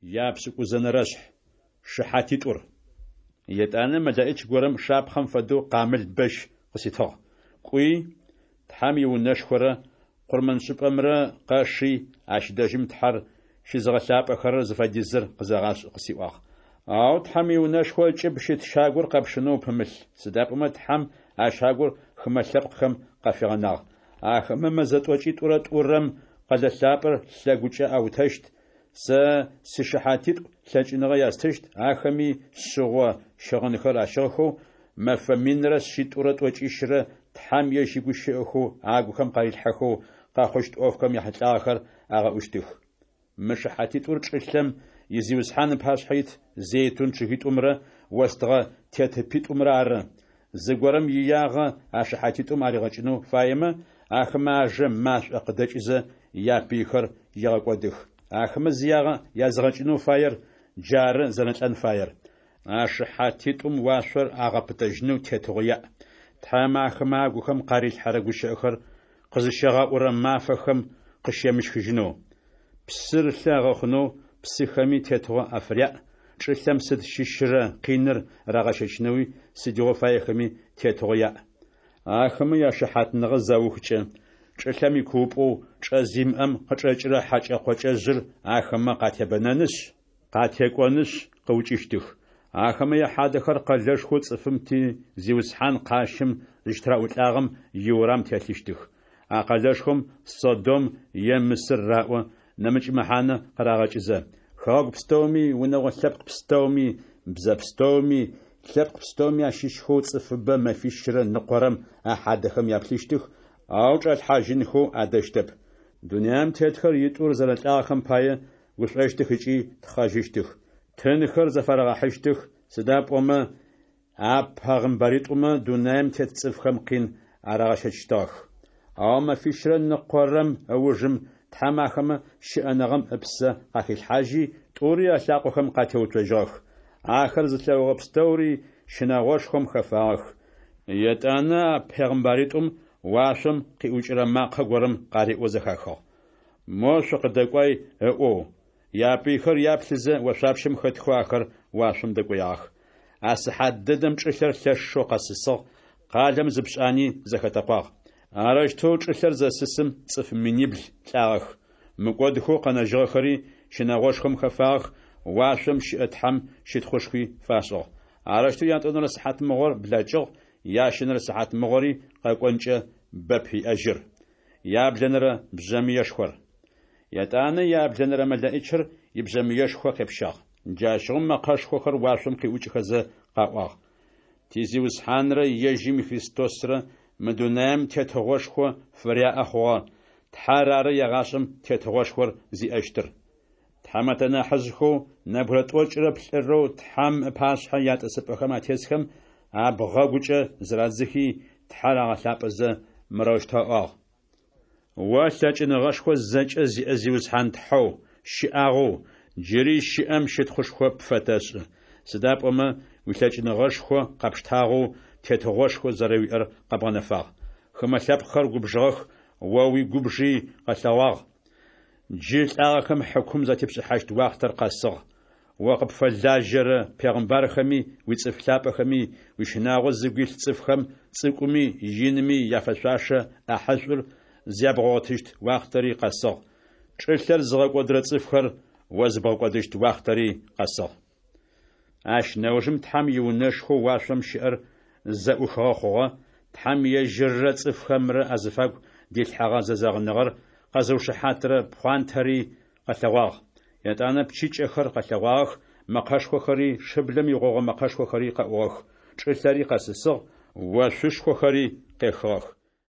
Япшӏыкӏузэнэрэшъхь. Шыхьатитӏур. Етӏанэ мэлэӏич горэм шапхъэм фэдэу къамыл бэщ къыситыгъ. Кӏуи, Тхьэм иунэшхорэ къурмэншӏыпӏэмрэ къэши, ащ дэжьым Тхьэр щызыгъэлъапӏэхэрэр зыфэдизыр къызэгъашӏ къысиӏуагъ. Ау Тхьэм иунэшхо ыкӏыб щыт щагур къэпшынэу упымылъ, сыда пӏомэ Тхьэм а щагур хымэ лъэпкъхэм къафигъэнагъ. Ахэмэ мэзэ тӏокӏитӏурэ тӏурэм къэлэ лъапӏэр лъэгукӏэ аутэщт, Сэ сишыхьатитӏу лъэкӏыныгъэ ястыщт, ахэми шъыгъо щыгъынхэр ащыгъхэу, мэфэ минрэ шъитӏурэ тӏокӏищрэ Тхьэм ежь игущыӏэхэу агухэм къарилъхьэхэу, къэхъущт ӏофхэм яхьылӏагъэхэр агъэӏущтых. Мы шыхьатитӏур чӏылъэм и Зиусхьан ыпашъхьэ ит зейтун чъыгитӏумрэ остыгъэ тетыпитӏумрэ ары. Зыгорэм иягъэ а шыхьатитӏум аригъэкӏынэу фаемэ, ахэмэ ажэ машӏо къыдэкӏызэ, япыйхэр егъэкӏодых. Ахэмэ зиягъэ языгъэкӏынэу фаер джары зэрэлӏэн фаер. А шыхьатитӏум уашъор агъэпытэжьынэу тетыгъо яӏ. Тхьэм ахэмэ агухэм къарилъхьэрэ гущыӏэхэр къызыщагъэӏурэ мафэхэм къыщемыщхыжьынэу. Псыр лъы агъэхъунэу псыхэми тетыгъо афыряӏ, чӏылъэм сыд щыщырэ къиныр рагъэщэчынэуи сыдигъо фаехэми тетыгъо яӏ. Ахэмэ яшыхьатныгъэ заухкӏэ, чӏылъэм икуупӏэу чӏэ зимыӏэм къычӏэкӏырэ хьакӏэ-къокӏэжъыр ахэмэ къатебэнэнышъ, къатекӏонышъ, къыукӏыщтых. Ахэмэ яхьадэхэр къэлэшхоу цӏыфым ти Зиусхьан къащым зыщытыраӏулӏагъэм иурам телъыщтых. А къэлэшхом Содом е Мысыр раӏо, нэмыкӏ мэхьанэ къырагъэкӏызэ. Хэгъэгу пстэуми, унэгъо лъэпкъ пстэуми, бзэ пстэуми, лъэпкъ пстэуми ащыщхэу цӏыфыбэ мэфищрэ ныкъорэм а хьадэхэм яплъыщтых, ау чӏалъхьажьынхэу адэщтэп. Дунаим тетхэр итӏур зэрэлӏагъэхэм пае гушӏощтых ыкӏи тхъэжьыщтых. Тынхэр зэфарагъэхьыщтых, сыда пӏомэ а пэгъымбаритӏумэ дунаим тет цӏыфхэм къин арагъэщэчыщтыгъэх. Ау мэфищрэ ныкъорэм ыужым Тхьэм ахэмэ щыӏэныгъэм ыпсэ къахилъхьажьи, тӏури алъакъохэм къатеуцожьыгъэх. Ахэр зылъэгъугъэ пстэури щынэгъошхом хэфагъэх. Етӏанэ а пегъымбаритӏум уашъом къиӏукӏырэ макъэ горэм къариӏоу зэхахыгъ. Мо шъукъыдэкӏуай ыӏоу. Япыйхэр яплъызэ, ошъуапщэм хэтхэу ахэр уашъом дэкӏоягъэх. А сыхьат дэдэм чӏылъэр лъэшэу къэсысыгъ, къалэм зы пшӏани зэхэтэкъуагъ. Арэущтэу чӏылъэр зэсысым цӏыф минибл лӏагъэх. Мыкӏодхэу къэнэжьыгъэхэри щынэгъошхом хэфагъэх, уашъом щыӏэ Тхьэм щытхъушхуи фашӏыгъ. Арэущтэу ятӏонэрэ сыхьатмыгъор блэкӏыгъ, ящэнэрэ сыхьатмыгъори къэкӏонкӏэ бэп иӏэжьыр. Яблэнэрэ бжъэмыешхор. Етӏанэ яблэнэрэ мэлэӏичыр ибжъэмыешхо къепщагъ. Джащыгъум мэкъэшхохэр уашъом къиӏукӏхэзэ къаӏуагъ: Ти Зиусхьанрэ ежьым и Христосрэ мы дунаим тетыгъошхо фыряӏэ хъугъэ, Тхьэр ары егъашӏэм тетыгъошхор зиӏэщтыр. Тхьамэтэ нахьыжъхэу нэбгырэ тӏокӏырэ плӏырэу Тхьэм ыпашъхьэ ятӏысыпӏэхэм атесхэм абгъэгукӏэ зырадзыхи, Тхьэр агъэлъапӏэзэ, мырэущтэу аӏуагъ. О лъэкӏыныгъэшхо зэкӏэ зиӏэ Зиусхьан Тхьэу, щыӏагъэу, джыри щыӏэм щытхъушхо пфэтэшӏы, сыда пӏомэ уилъэкӏыныгъэшхо къэпштагъэу, тетыгъошхо зэрэуиӏэр къэбгъэнэфагъ. Хымэ лъэпкъхэр губжыгъэх, о уигубжи къэлъэгъуагъ. Джы лӏагъэхэм хьыкум затепшӏыхьащт уахътэр къэсыгъ. О къыпфэлажьэрэ пегъымбархэми, уицӏыф лъапӏэхэми, уищынагъо зыгу илъ цӏыфхэм цӏыкӏуми инми яфэшъуашэ ӏахьышӏур зябгъэгъотыщт уахътэри къэсыгъ, чӏылъэр зыгъэкӏодырэ цӏыфхэр о зыбгъэкӏодыщт уахътэри къэсыгъ. Ащ нэужым Тхьэм иунэшхоу уашъом щыӏэр зэӏухыгъэ хъугъэ, Тхьэм ежьыррэ цӏыфхэмрэ азыфагу дилъхьэгъэ зэзэгъыныгъэр къэзыушыхьатырэ пхъуантэри къэлъэгъуагъ. Етӏанэ пчыкӏэхэр къэлъэгъуагъэх, мэкъэшхохэри, шыблэм игъогъо мэкъэшхохэри къэӏугъэх, чӏылъэри къэсысыгъ, ошъушхохэри къехыгъэх.